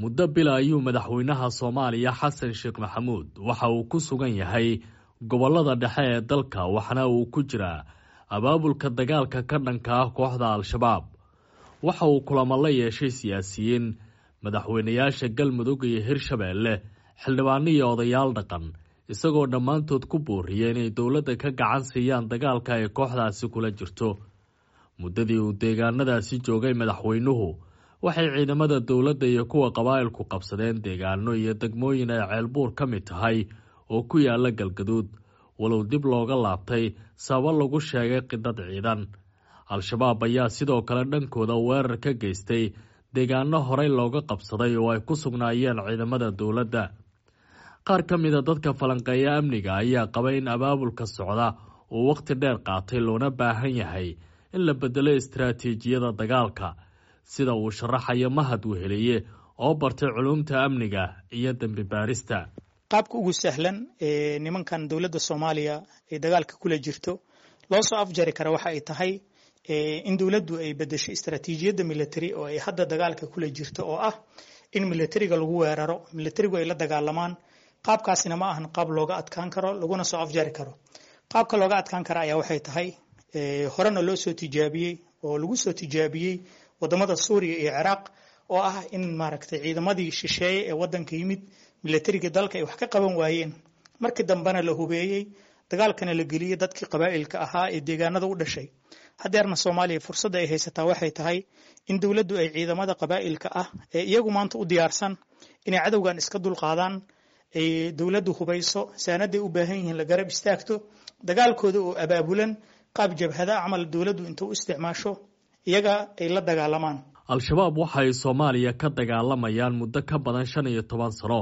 Muddo bila ayuu madaxweynaha Soomaaliya Xasan Sheekh Maxamuud waxa uu ku sugan yahay gobollada dhexe ee dalka, waxaana uu ku jiraa abaabulka dagaalka ka dhanka ah kooxda Al-Shabaab. Waxa uu kulamo la yeeshay siyaasiyiin, madaxweynayaasha Galmudug iyo Hirshabeelle, xildhibaano iyo odayaal dhaqan, isagoo dhammaantood ku booriyay inay dowladda ka gacan siiyaan dagaalka ay kooxdaasi kula jirto. Muddadii uu deegaanadaasi joogay madaxweynuhu, waxay ciidamada dowladda iyo kuwa qabaa'ilku qabsadeen deegaano iyo degmooyin ay Ceelbuur ka mid tahay oo ku yaala Galgaduud, walow dib looga laabtay sababo lagu sheegay qidad ciidan. Al-Shabaab ayaa sidoo kale dhankooda weerar ka geystay deegaano horey looga qabsaday oo ay ku sugnaayeen ciidamada dowladda. Qaar ka mida dadka falanqeeya amniga ayaa qaba in abaabulka socda uu wakhti dheer qaatay, loona baahan yahay in la bedelo istaraatiijiyada dagaalka, sida uu sharaxayo Mahad Weheliye oo bartay culuumta amniga iyo dembi baarista. Qaabka ugu sahlan ee nimankan dowladda Soomaaliya ay dagaalka kula jirto loo soo afjari kara waxa ay tahay in dowladdu ay bedesho istaraatiijiyadda military oo ay hadda dagaalka kula jirto, oo ah in militariga lagu weeraro, militarigu ay la dagaalamaan. Qaabkaasina ma ahan qaab looga adkaan karo laguna soo afjari karo. Qaabka looga adkaan kara ayaa waxay tahay, horena loo soo tijaabiyey oo lagu soo tijaabiyey wadamada Suuriya iyo Ciraaq, oo ah in maaragtay ciidamadii shisheeye ee wadanka yimid militariga dalka ay wax ka qaban waayeen, markii dambena la hubeeyey, dagaalkana la geliyey dadkii qabaa'ilka ahaa ee deegaanada u dhashay. Haddeerna Soomaaliya fursadda ay haysataa waxay tahay in dowladdu ay ciidamada qabaa'ilka ah ee iyagu maanta u diyaarsan inay cadowgan iska dulqaadaan ay dowladdu hubayso, saanaday u baahan yihiin la garab istaagto, dagaalkooda oo abaabulan qaab jabhada camal dowladdu inta u isticmaasho iyaga ay la dagaalamaan. Al-Shabaab waxay Soomaaliya ka dagaalamayaan muddo ka badan 15 sano,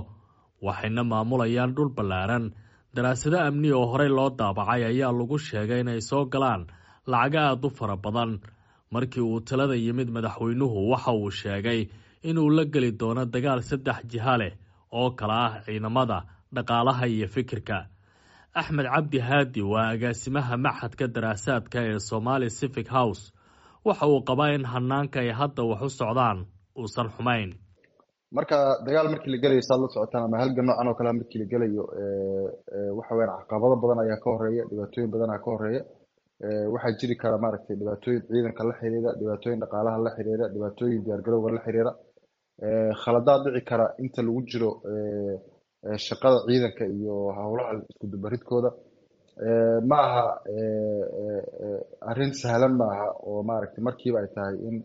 waxayna maamulayaan dhul ballaaran. Daraasado amni oo horey loo daabacay ayaa lagu sheegay inay soo galaan lacago aada u fara badan. Markii uu talada yimid madaxweynuhu, waxa uu sheegay inuu la geli doono dagaal saddex jiha leh oo kala ah ciidamada, dhaqaalaha iyo fikirka. Axmed Cabdi Haadi waa agaasimaha maxadka daraasaadka ee Somali Civic House. Waxa uu qabaa in hanaanka ay hadda wax u socdaan uusan xumayn. Marka dagaal markii la gelayo, saad la socotaan, ama halgan noocan oo kale markii la gelayo, waxa weyaan caqabado badan ayaa ka horeeya, dhibaatooyin badan ayaa ka horeeya. Waxaa jiri kara maaragtay dhibaatooyin ciidanka la xiriira, dhibaatooyin dhaqaalaha la xiriira, dhibaatooyin diyaargarowga la xiriira, khaladaad dhici kara inta lagu jiro shaqada ciidanka iyo howlaha isku dubaridkooda. Ma aha arrin sahlan, ma aha oo maaragtay markiiba ay tahay in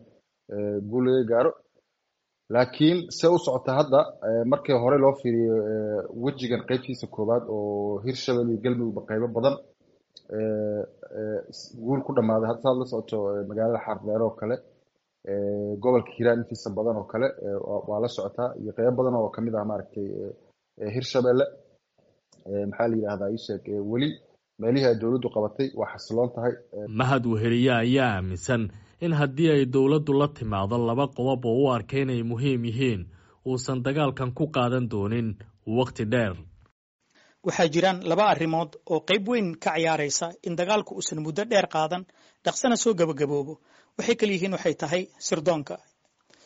guul laga gaaro. Laakiin se u socota hadda, markii hore loo fiiriyo wejigan qeybtiisa koowaad oo Hirshabelle iyo Galmudugba qeybo badan guul ku dhamaaday, hadda saad la socoto magaalada Xaardheere oo kale, gobolka Hiiraan intiisa badan oo kale waa la socotaa, iyo qeybo badan oo kamid ah maaragtay Hirshabelle, maxaa la yidhahdaa, isheeg, weli meelihii ay dowladdu qabatay waa xasiloon tahay. Mahad Weheliye ayaa aaminsan in haddii ay dowladdu la timaado laba qodob oo u arkay inay muhiim yihiin, uusan dagaalkan ku qaadan doonin wakhti dheer. Waxaa jiraan laba arrimood oo qayb weyn ka ciyaaraysa in dagaalku uusan muddo dheer qaadan, dhaqsana soo gabagaboobo. Waxay kala yihiin, waxay tahay sirdoonka.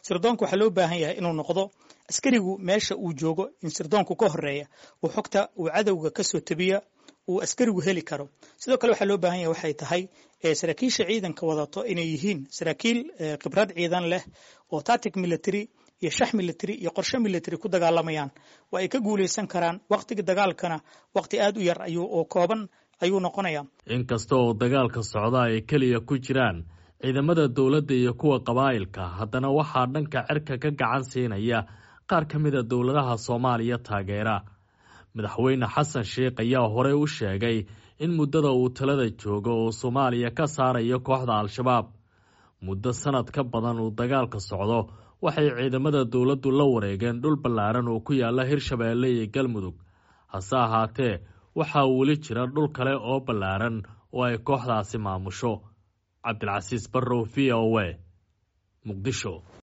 Sirdoonka waxaa loo baahan yahay inuu noqdo askarigu meesha uu joogo in sirdoonku ka horeeya, uu xogta uu cadowga ka soo tabiya uu askarigu heli karo. Sidoo kale waxaa loo baahan yahay waxay tahay saraakiisha ciidanka wadato inay yihiin saraakiil khibrad ciidan leh oo tactic military iyo shax military iyo qorshe military ku dagaalamayaan. Waa ay ka guulaysan karaan, waqtiga dagaalkana waqti aada u yar ayuu oo kooban ayuu noqonayaa. Inkasta oo dagaalka socda ay keliya ku jiraan ciidamada dowladda iyo kuwa qabaa'ilka, haddana waxaa dhanka cirka ka gacan siinaya qaar ka mida dowladaha Soomaaliya taageera. Madaxweyne Xasan Sheikh ayaa horey u sheegay in muddada uu talada joogo oo Soomaaliya ka saarayo kooxda Al-Shabaab. Muddo sanad ka badan uu dagaalka socdo, waxay ciidamada dowladdu la wareegeen dhul ballaaran oo ku yaala Hirshabeelle iyo Galmudug. Hase ahaatee, waxaa weli jira dhul kale oo ballaaran oo ay kooxdaasi maamusho. Cabdilcasiis Barrow, V O A, Muqdisho.